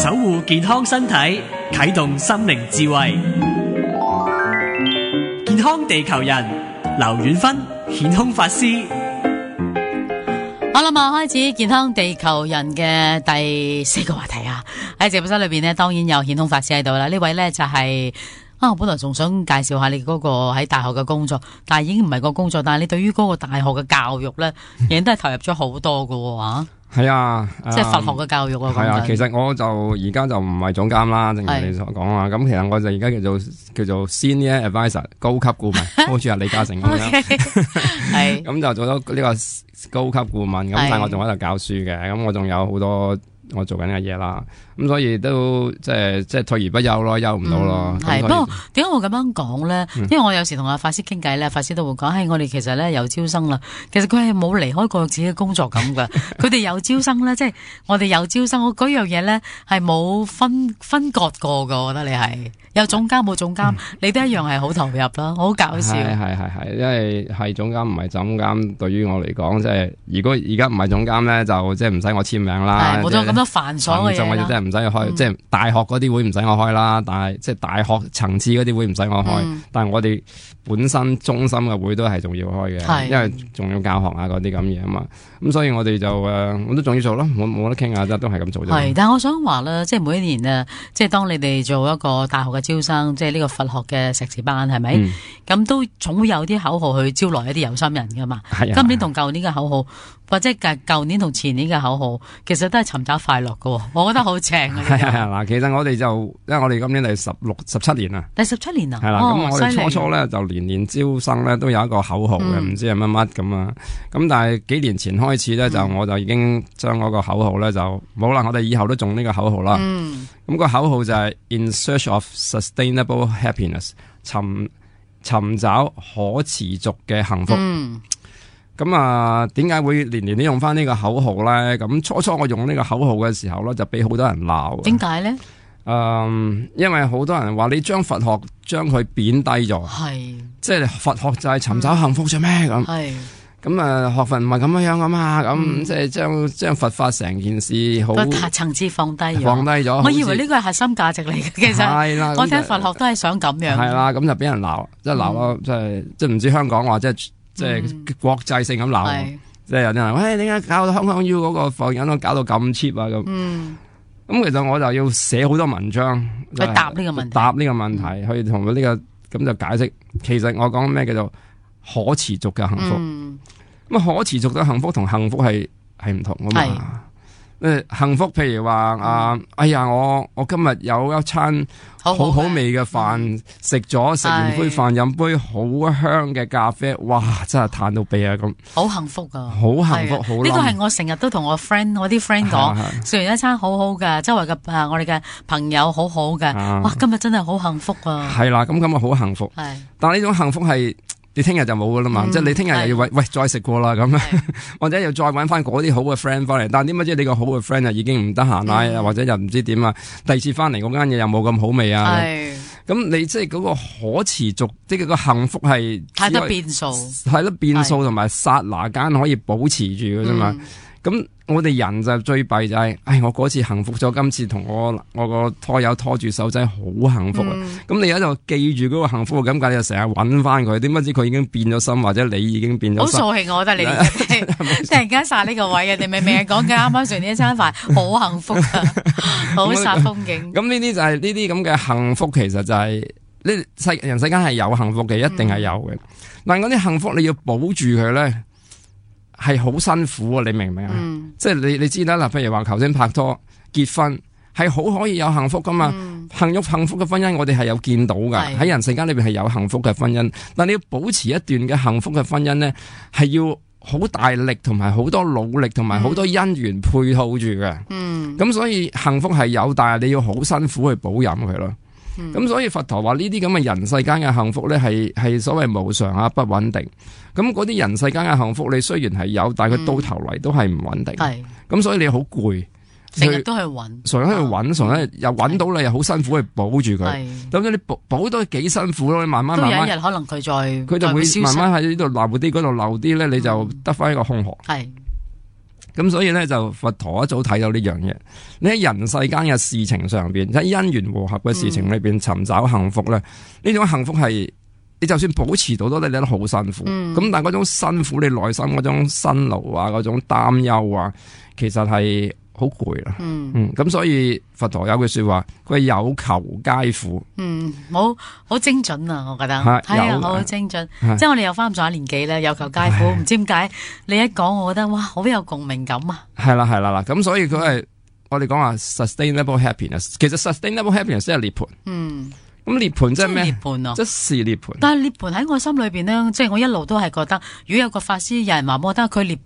守護健康身體，啟動心靈智慧。健康地球人，劉遠芬顯空法師。好啦嘛，開始健康地球人嘅第4個話題啊！喺直播室裏邊呢，當然有顯空法師喺度啦。呢位呢就係我本來仲想介紹下你嗰個喺大學嘅工作，但係已經唔係個工作，但係你對於嗰個大學嘅教育呢，已經都係投入咗好多噶喎。係啊，即係佛學嘅教育啊。係啊，其實我就而家就唔係總監啦，正如你所講啊。咁其實我就而家叫做 Senior Advisor 高級顧問，好似阿李嘉誠咁樣。係咁就做咗呢個高級顧問，咁但係我仲喺度教書嘅，咁我仲有好多我做緊嘅嘢啦。咁所以都即係退而不休咯，休唔到咯。係，不過點解我咁樣講咧？因為我有時同阿法師傾偈咧，法師都會講，我哋其實咧有招生啦。其實佢係冇離開過自己嘅工作咁噶。佢哋有招生咧，即係我哋有招生，嗰樣嘢咧係冇分割過噶。我覺得你係有總監冇總監，你都一樣係好投入啦，好搞笑。係，因為係總監唔係總監，對於我嚟講，即係如果而家唔係總監咧，就即係唔使我簽名啦。冇咗咁多繁瑣嘅嘢啦。唔使開，即係大學嗰啲會唔使我開啦，但係即係大學層次嗰啲會唔使我開，但係我哋本身中心嘅會都係仲要開嘅，因為仲要教學啊嗰啲咁嘢啊嘛，咁所以我哋就我都仲要做咯，冇得傾下都係咁做啫。係，但係我想話咧，即係每一年啊，即係當你哋做一個大學嘅招生，即係呢個佛學嘅碩士班，係咪？咁都總會有啲口號去招來一啲有心人噶嘛。今年同舊年嘅口號，或者舊年同前年嘅口號，其實都係尋找快樂噶，我覺得好正啊！嗱，其實我哋就因為我哋今年係17年啦，第17年啊，係啦，咁我哋初咧就年招生咧都有一個口號嘅，唔知係乜乜咁啊，咁但係幾年前開始咧就我就已經將嗰個口號咧就冇啦，我哋以後都中呢個口號啦。咁個口號就係 In search of sustainable happiness， 尋找可持續嘅幸福。咁啊，點解會年年都用翻呢個口號咧？咁初我用呢個口號嘅時候咧，就俾好多人鬧。點解咧？因為好多人話你將佛學將佢貶低咗，即係佛學就係尋找幸福啫咩咁。咁啊，學佛唔係咁樣噶嘛，咁即係將佛法成件事好層次放低咗。我以為呢個係核心價值嚟嘅，其實我聽佛學都係想咁樣。係啦，咁就俾人鬧，即係鬧咯，即係唔知香港話即係國際性咁鬧，即係有啲人喂，點解搞到香港 U 嗰個佛人都搞到咁 cheap 啊咁？咁其實我就要寫好多文章去答呢個問題，去同佢呢個咁就解釋，其實我講咩叫做可持續嘅幸福。咁可持續嘅幸福同幸福係唔同噶嘛？幸福譬如話哎呀，我今日有一餐好味嘅飯，食完杯飯，飲杯好香嘅咖啡，哇！真係嘆到痹啊咁，好幸福啊，好幸福，好。呢個係我成日都同我啲 friend 講，食完一餐好好嘅，周圍嘅我哋嘅朋友好好嘅，哇！今日真係好幸福啊。係啦，咁啊好幸福。但係呢種幸福係。你聽日就冇噶啦嘛，即係你聽日又要喂再食過啦咁，或者又再搵翻嗰啲好嘅 friend 翻嚟，但係點解知你個好嘅 friend 啊已經唔得閒啦，或者又唔知點啊，第二次翻嚟嗰間嘢又冇咁好味啊，咁你即係嗰個可持續，即係個幸福係太多變數，係咯變數同埋剎那間可以保持住嘅啫嘛。咁我哋人就最弊就係，我嗰次幸福咗，今次同我個拖友拖住手仔好幸福啊！咁你喺度記住嗰個幸福嘅感覺，你就成日搵翻佢，點不知佢已經變咗心，或者你已經變咗心。好掃興，我覺得你哋突然間殺呢個位嘅，你明明係講緊啱啱食呢一餐飯，好幸福啊，好煞風景。咁呢啲就係呢啲咁嘅幸福，其實就係人世間係有幸福嘅，一定係有嘅。但係嗰啲幸福你要保住佢咧。係好辛苦啊！你明唔明啊？即係你知啦，嗱，譬如話頭先拍拖結婚係好可以有幸福噶嘛？幸福嘅婚姻我哋係有見到噶，喺人世間裏邊係有幸福嘅婚姻。但你要保持一段嘅幸福嘅婚姻咧，係要好大力同埋好多努力同埋好多因緣配套住嘅。咁所以幸福係有，但係你要好辛苦去保任佢咯。咁所以佛陀話呢啲咁嘅人世間嘅幸福咧，係所謂無常啊，不穩定。咁嗰啲人世間嘅幸福，你雖然係有，但係佢到頭嚟都係唔穩定。咁所以你好攰，成日都去揾，成日去揾，成日又揾到你，又好辛苦去保住佢。咁你保都幾辛苦咯，你慢慢都有一日可能佢就會慢慢喺呢度漏啲，嗰度漏啲咧，你就得翻一個空殼。咁所以咧就佛陀一早睇到呢樣嘢，你喺人世間嘅事情上邊，喺因緣和合嘅事情裏邊尋找幸福咧，呢種幸福係你就算保持到你都好辛苦。咁但係嗰種辛苦，你內心嗰種辛勞啊，嗰種擔憂啊，其實係好攰啦。咁所以佛陀有句說話，佢有求皆苦。好精準啊！我覺得係啊，好精準。即係我哋又翻咁上下年紀咧，有求皆苦。唔知點解你一講，我覺得哇，好有共鳴感啊！係啦啦，咁所以佢係我哋講話 sustainable happiness， 其實 sustainable happiness 即係涅槃。咁涅槃即係咩？涅槃啊，即是涅槃。但係涅槃喺我心裏邊呢，即係我一路都係覺得，如果有個法師有人話我覺得佢涅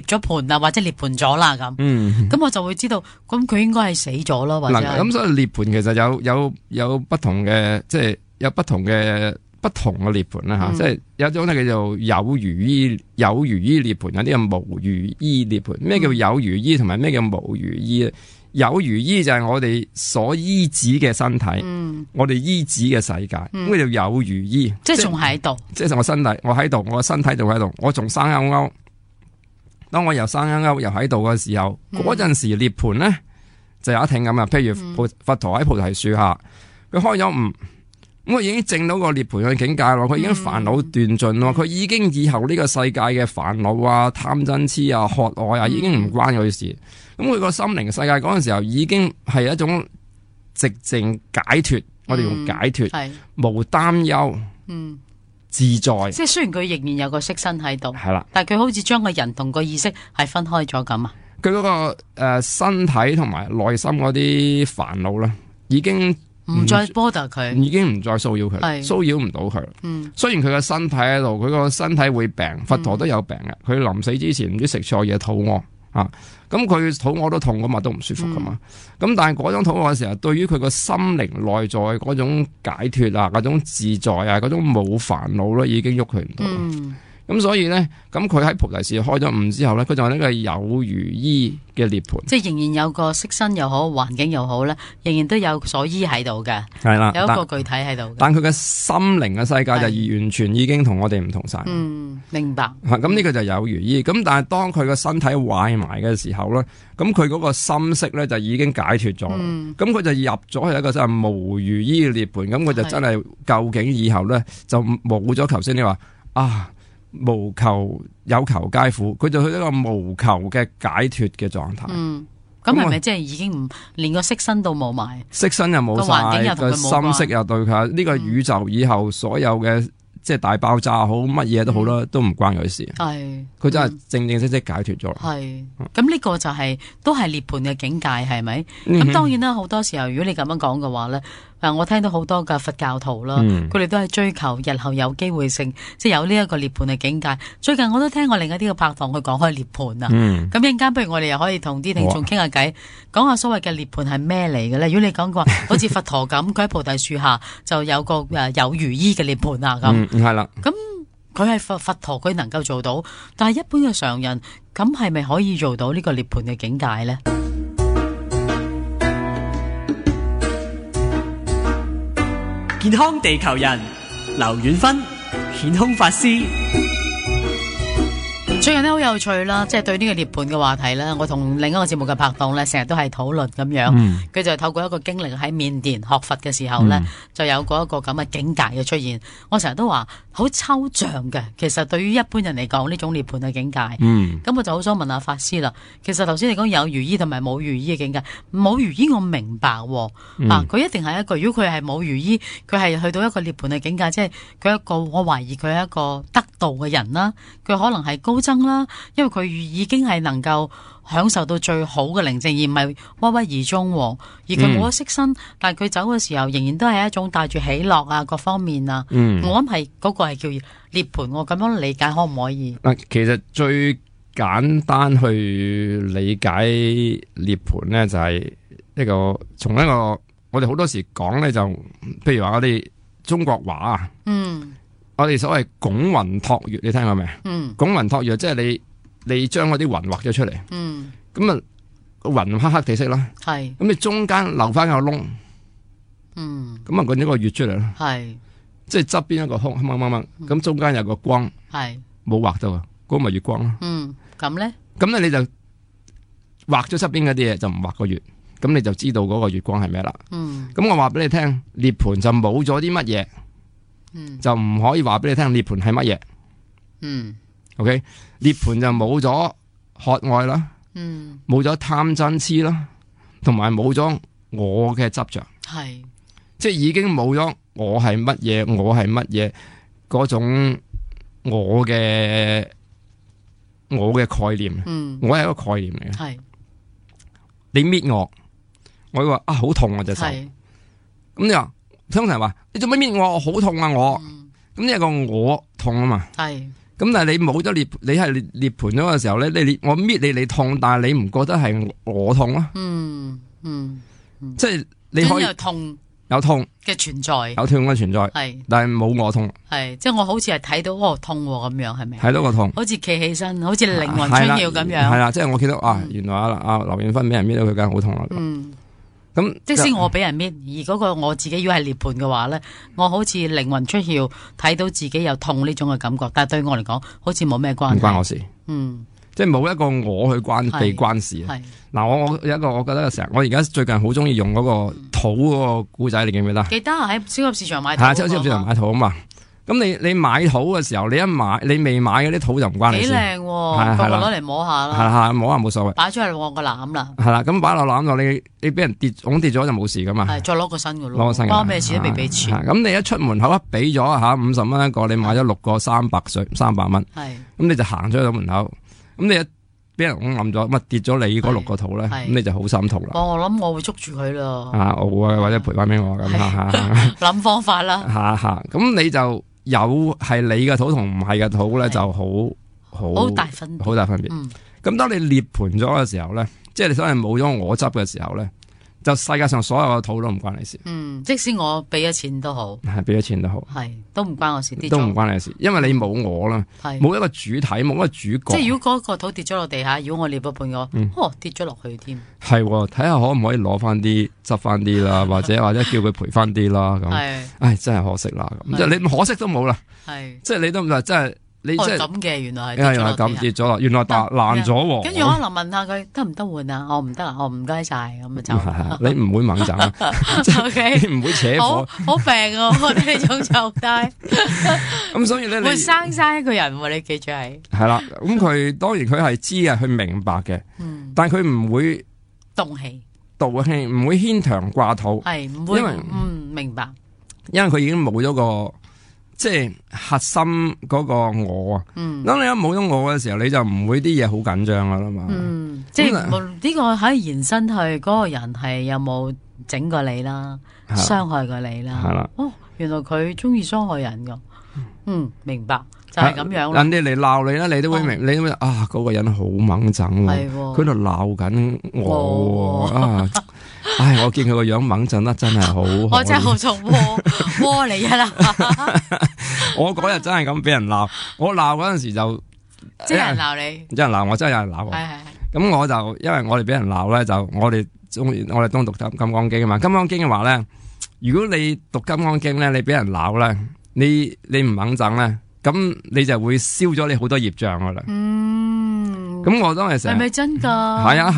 咗槃啊，或者涅槃咗啦咁，咁我就會知道，咁佢應該係死咗咯，或者咁所以涅槃其實有不同嘅，即係有不同嘅涅槃啦吓，即係有一種咧叫做有如依涅槃，有啲係無如依涅槃。咩叫有如依，同埋咩叫無如依咧？有如依就係我哋所依止嘅身體，我哋依止嘅世界，咁叫做有如依，即係仲喺度，即係我身體，我喺度，我個身體仲喺度，我仲生勾勾。當我又生勾勾又喺度嘅時候，嗰陣時涅槃咧就有一挺咁啊。譬如佛陀喺菩提樹下，佢開咗悟，咁佢已經證到個涅槃嘅境界咯，佢已經煩惱斷盡咯，佢已經以後呢個世界嘅煩惱啊、貪嗔痴啊、渴愛啊，已經唔關佢事。咁佢個心靈世界嗰陣時候已經係一種寂靜解脫，我哋用解脫，無擔憂，自在。即係雖然佢仍然有個色身喺度，係啦，但係佢好似將個人同個意識係分開咗咁啊。佢嗰個身體同埋內心嗰啲煩惱咧，已經唔再 bother 佢，已經唔再騷擾佢，騷擾唔到佢。雖然佢個身體喺度，佢個身體會病，佛陀都有病嘅。佢臨死之前唔知食錯嘢，肚餓啊。咁佢肚餓都痛噶嘛，都唔舒服噶嘛。咁但係嗰種肚餓嘅時候，對於佢個心靈內在嗰種解脫啊，嗰種自在啊，嗰種冇煩惱咧，已經喐佢唔到。咁所以咧，咁佢喺菩提樹開咗悟之後咧，佢就係呢個有如依嘅涅槃，即係仍然有個色身又好，環境又好咧，仍然都有所依喺度嘅。係啦，有一個具體喺度。但佢嘅心靈嘅世界就完全已經同我哋唔同晒。明白。咁呢個就有如依。咁但係當佢個身體壞埋嘅時候咧，咁佢嗰個心識咧就已經解脫咗。咁佢就入咗去一個真係無如依嘅涅槃。咁佢就真係究竟以後咧就冇咗頭先你話無求有求皆苦，佢就去一個無求嘅解脫嘅狀態。咁係咪即係已經唔連個色身都冇埋？色身又冇晒，個心識又對佢呢個宇宙以後所有嘅即係大爆炸好乜嘢都好啦，都唔關佢事。係佢真係正正式式解脫咗。係咁呢個就係都係涅槃嘅境界，係咪？咁當然啦，好多時候如果你咁樣講嘅話咧。我聽到好多嘅佛教徒啦，佢哋都係追求日後有機會性，即係有呢一個涅槃嘅境界。最近我都聽過另一啲嘅拍檔去講開涅槃啊。咁一陣間不如我哋又可以同啲聽眾傾下偈，講下所謂嘅涅槃係咩嚟嘅咧？如果你講過好似佛陀咁，佢喺菩提樹下就有個有如依嘅涅槃啊咁。係啦。咁佢係佛陀，佢能夠做到，但係一般嘅常人咁係咪可以做到呢個涅槃嘅境界咧？健康地球人劉遠芬顯空法師。最近咧好有趣啦，即係對呢個涅槃嘅話題咧，我同另一個節目嘅拍檔咧，成日都係討論咁樣。佢就透過一個經歷喺緬甸學佛嘅時候咧，就有過一個咁嘅境界嘅出現。我成日都話好抽象嘅，其實對於一般人嚟講呢種涅槃嘅境界。咁我就好想問下法師啦。其實頭先你講有如依同埋冇如依嘅境界，冇如依我明白佢一定係一個，如果佢係冇如依，佢係去到一個涅槃嘅境界，即係佢一個，我懷疑佢係一個得道嘅人啦，佢可能係高僧啦，因為佢已經係能夠享受到最好嘅寧靜，而唔係鬱鬱而終。而佢冇咗色身，但係佢走嘅時候仍然都係一種帶住喜樂啊，各方面啊。我諗係嗰個係叫涅槃，我咁樣理解可唔可以？其實最簡單去理解涅槃咧，就係一個從一個我哋好多時講咧，就譬如話我哋中國話啊。我哋所謂拱雲托月，你聽過未？拱雲托月即係你將嗰啲雲畫咗出嚟，咁啊雲黑黑地色啦，咁你中間留翻個窿，咁啊搵咗個月出嚟啦，即係側邊一個空掹掹掹，咁中間有個光，冇畫到啊，嗰咪月光咯。咁咧？咁咧你就畫咗側邊嗰啲嘢，就唔畫個月，咁你就知道嗰個月光係咩啦。咁我話俾你聽，涅槃就冇咗啲乜嘢，就唔可以話俾你聽涅槃係乜嘢。OK， 涅槃就冇咗渴愛啦，冇咗貪嗔痴啦，同埋冇咗我嘅執着，係即係已經冇咗我係乜嘢，我係乜嘢嗰種我嘅概念，我係一個概念嚟嘅。係你搣我會話啊好痛啊隻手，咁你話通常話你做乜搣我？我好痛啊我，咁呢個我痛啊嘛。係咁但係你冇咗你係涅槃咗嘅時候咧，我搣你痛，但係你唔覺得係我痛咯？即係你可以有痛嘅存在，有痛嘅存在，係，但係冇我痛，係，即係我好似係睇到痛咁樣，係咪？睇到個痛，好似企起身，好似靈魂出竅咁樣，係啦，即係我見到原來阿劉遠芬俾人搣到佢梗係好痛啦。咁即使我俾人搣，而嗰個我自己如果係涅槃嘅話咧，我好似靈魂出竅，睇到自己有痛呢種嘅感覺，但係對我嚟講，好似冇咩關係，唔關我事，即係冇一個我去被關事。嗱，我有一個，我覺得成日，我而家最近好中意用嗰個土嗰個古仔，你記唔記得？記得喺超級市場買土。係超級市場買土啊嘛。咁你買土嘅時候，你未買嗰啲土就唔關你事。幾靚喎，個個攞嚟摸下啦。係摸下冇所謂。擺出嚟我個籃啦。係啦，咁擺落籃度，你俾人跌咗就冇事噶嘛。係，再攞個新嘅咯。攞個新嘅。關咩事都未俾錢。咁你一出門口俾咗50蚊一個，你買咗6個300蚊。係。咁你就行出去門口，咁你一俾人揞咗，咁跌咗你嗰6個土咧，咁你就好心痛啦。我諗我會捉住佢咯。我或者賠翻俾我咁諗方法啦。咁你就有係你嘅土同唔係嘅土咧，就好大分別。好大分別。咁當你涅槃咗嘅時候咧，即係你所謂冇咗我執嘅時候咧，就世界上所有嘅土都唔關你事。即使我俾咗錢都好，係俾咗錢都好，係都唔關我事，都唔關你事，因為你冇我啦，冇一個主體，冇一個主角。即係如果嗰個土跌咗落地下，如果我捏咗半個，跌咗落去添。係，睇下可唔可以攞翻啲，執翻啲啦，或者叫佢賠翻啲啦。咁，唉，真係可惜啦。咁即係你可惜都冇啦。係，即係你都唔係，真係。你即係咁嘅，原來係咁跌咗啦，原來爛咗。跟住我可能問下佢得唔得換啊？我唔得啊，我唔該晒咁啊就。你唔會猛整，你唔會扯火。好病啊！我哋呢種狀態。咁所以咧，會生一個人，你記住係。係啦，咁佢當然佢係知嘅，佢明白嘅。但係佢唔會動氣，唔會牽腸掛肚。係唔會，因為明白。因為佢已經冇咗個。即係核心嗰個我啊，當你一冇咗我嘅時候，你就唔會啲嘢好緊張噶啦嘛。即係呢個可以延伸去嗰個人係有冇整過你啦，傷害過你啦。係啦，原來佢中意傷害人噶。明白，就係咁樣。人哋嚟鬧你啦，你都會明，你都會嗰個人好猛整喎，佢度鬧緊我啊。唉，我見佢個樣猛震得真係好，我真係好想窩你啊啦！我嗰日真係咁俾人鬧，我鬧嗰陣時就即係人鬧你，真係鬧我，真係有人鬧我。係。咁我就因為我哋俾人鬧咧，就我哋當讀金剛經啊嘛。金剛經嘅話咧，如果你讀金剛經咧，你俾人鬧咧，你唔猛震咧，咁你就會燒咗你好多業障噶啦。咁我當時成係咪真噶？係啊。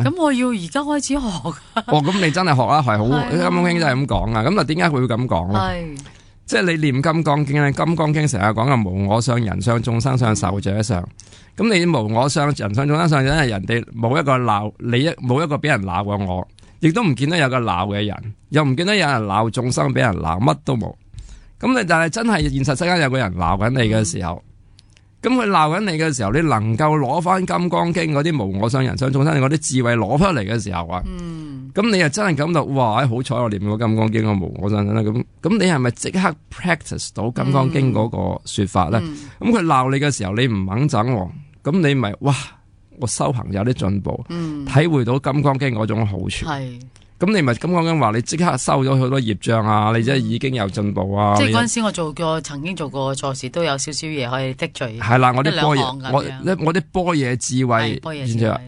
咁我要而家開始學。咁你真係學啦，係好《金剛經》真係咁講啊。咁啊，點解佢會咁講咧？係即係你念《金剛經》咧，《金剛經》成日講嘅無我相、人相、眾生相、壽者相。咁你無我相、人相、眾生相，因為人哋冇一個鬧你，冇一個俾人鬧過我，亦都唔見得有個鬧嘅人，又唔見得有人鬧眾生俾人鬧，乜都冇。咁你但係真係現實世間有個人鬧緊你嘅時候。咁佢鬧緊你嘅時候，你能夠攞翻《金剛經》嗰啲無我相、人相、眾生嗰啲智慧攞翻嚟嘅時候啊，咁你又真係感到哇！好彩我念過《金剛經》個無我相啦，咁你係咪即刻 practice 到《金剛經》嗰個說法咧？咁佢鬧你嘅時候，你唔肯整，咁你咪哇！我修行有啲進步，體會到《金剛經》嗰種好處。咁你咪金剛經話你即刻收咗好多業障啊！你即係已經有進步啊！即係嗰陣時我曾經做過錯事，都有少少嘢可以剔除。係啦，我啲般若，我啲般若智慧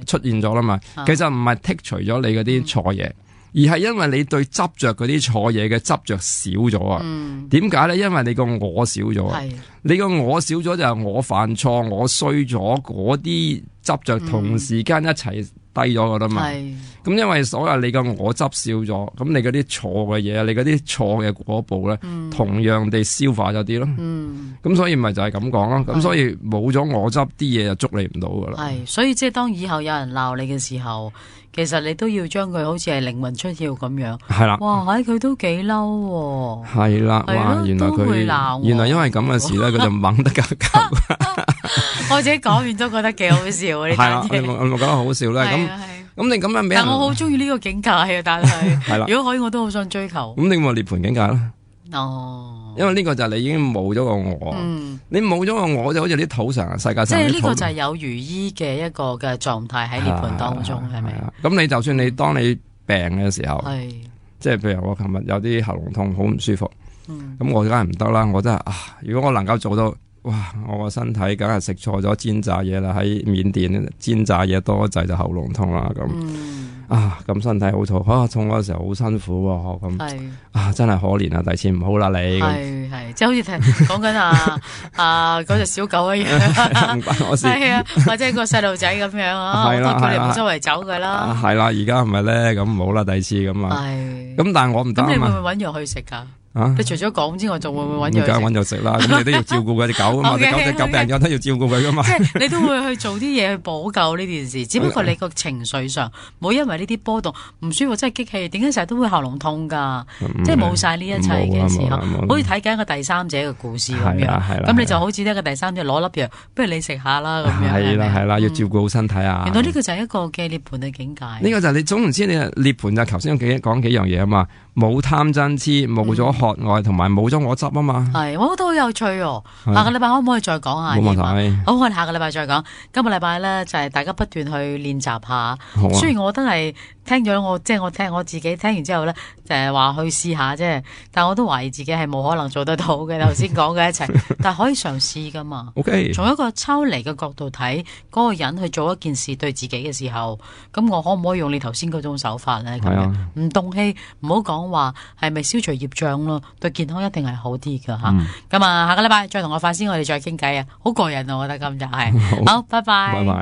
出現咗啦嘛。其實唔係剔除咗你嗰啲錯嘢，而係因為你對執着嗰啲錯嘢嘅執着少咗啊。點解咧？因為你個我少咗啊。你個我少咗就係我犯錯，我衰咗嗰啲執着同時間一齊低咗噶啦嘛。係咁因為所謂你個我執少咗，咁你嗰啲錯嘅嘢，你嗰啲錯嘅果報咧，同樣地消化咗啲咯。咁所以咪就係咁講咯。咁所以冇咗我執，啲嘢就捉你唔到噶啦。係，所以即係當以後有人鬧你嘅時候，其實你都要將佢好似係靈魂出竅咁樣。係啦。哇！佢都幾嬲喎。係啦。哇！原來都會鬧佢我原來因為咁嘅事咧，佢就猛得夠夠。我自己講完都覺得幾好笑啊！呢係啦，單嘢。我覺得好笑咧。咁你咁樣俾人，但我好中意呢個境界啊！但係係啦，如果可以，我都好想追求。咁你咪涅槃境界啦。哦，因為呢個就係你已經冇咗個我，你冇咗個我就好似啲土常世界上。即係呢個就係有如醫嘅一個嘅狀態喺涅槃當中，係咪啊？咁你就算你當你病嘅時候，係即係譬如我琴日有啲喉嚨痛，好唔舒服，咁我梗係唔得啦。我真係如果我能夠做到。哇！我個身體梗係食錯咗煎炸嘢啦，喺緬甸煎炸嘢多滯就喉嚨痛啦咁。咁身體好痛，痛嗰時候好辛苦喎咁。真係可憐啊！第次唔好啦你。係即係好似講緊嗰隻小狗一樣，唔關我事。係啊，或者個細路仔咁樣啊，我都叫你唔好周圍走噶啦。係啦，而家係咪咧？咁唔好啦，第次咁啊。咁但係我唔得啊嘛。咁你會唔會搵藥去食噶？你除咗講之外，仲會唔會搵藥？梗係搵藥食啦，咁你都要照顧嗰隻狗啊嘛，隻狗病咗都要照顧佢噶嘛。即係你都會去做啲嘢去補救呢件事，只不過你個情緒上冇因為呢啲波動唔舒服，真係激氣。點解成日都會喉嚨痛噶？即係冇晒呢一切嘅時候，好似睇緊一個第三者嘅故事咁樣。咁你就好似呢個第三者攞粒藥，不如你食下啦咁樣。係啦，要照顧好身體啊。原來呢個就係一個嘅涅槃嘅境界。呢個就係你總唔知你涅槃就頭先講幾樣嘢啊嘛，冇貪嗔痴，冇咗渴愛，同埋冇咗我執啊嘛。係，我覺得好有趣哦。下個禮拜可唔可以再講下？冇問題。好，我哋下個禮拜再講。今個禮拜咧就係大家不斷去練習下。雖然我都係聽咗我自己聽完之後咧，就係話去試下啫。但我都懷疑自己係冇可能做得到嘅。頭先講嘅一齊，但係可以嘗試噶嘛。OK。從一個抽離嘅角度睇，嗰個人去做一件事對自己嘅時候，咁我可唔可以用你頭先嗰種手法咧？咁樣唔動氣，唔好講話係咪消除業障咯？對健康一定係好啲噶吓。咁下個禮拜再同我發先，我哋再傾偈啊！好過癮啊，我覺得今日係。好，拜拜。拜拜。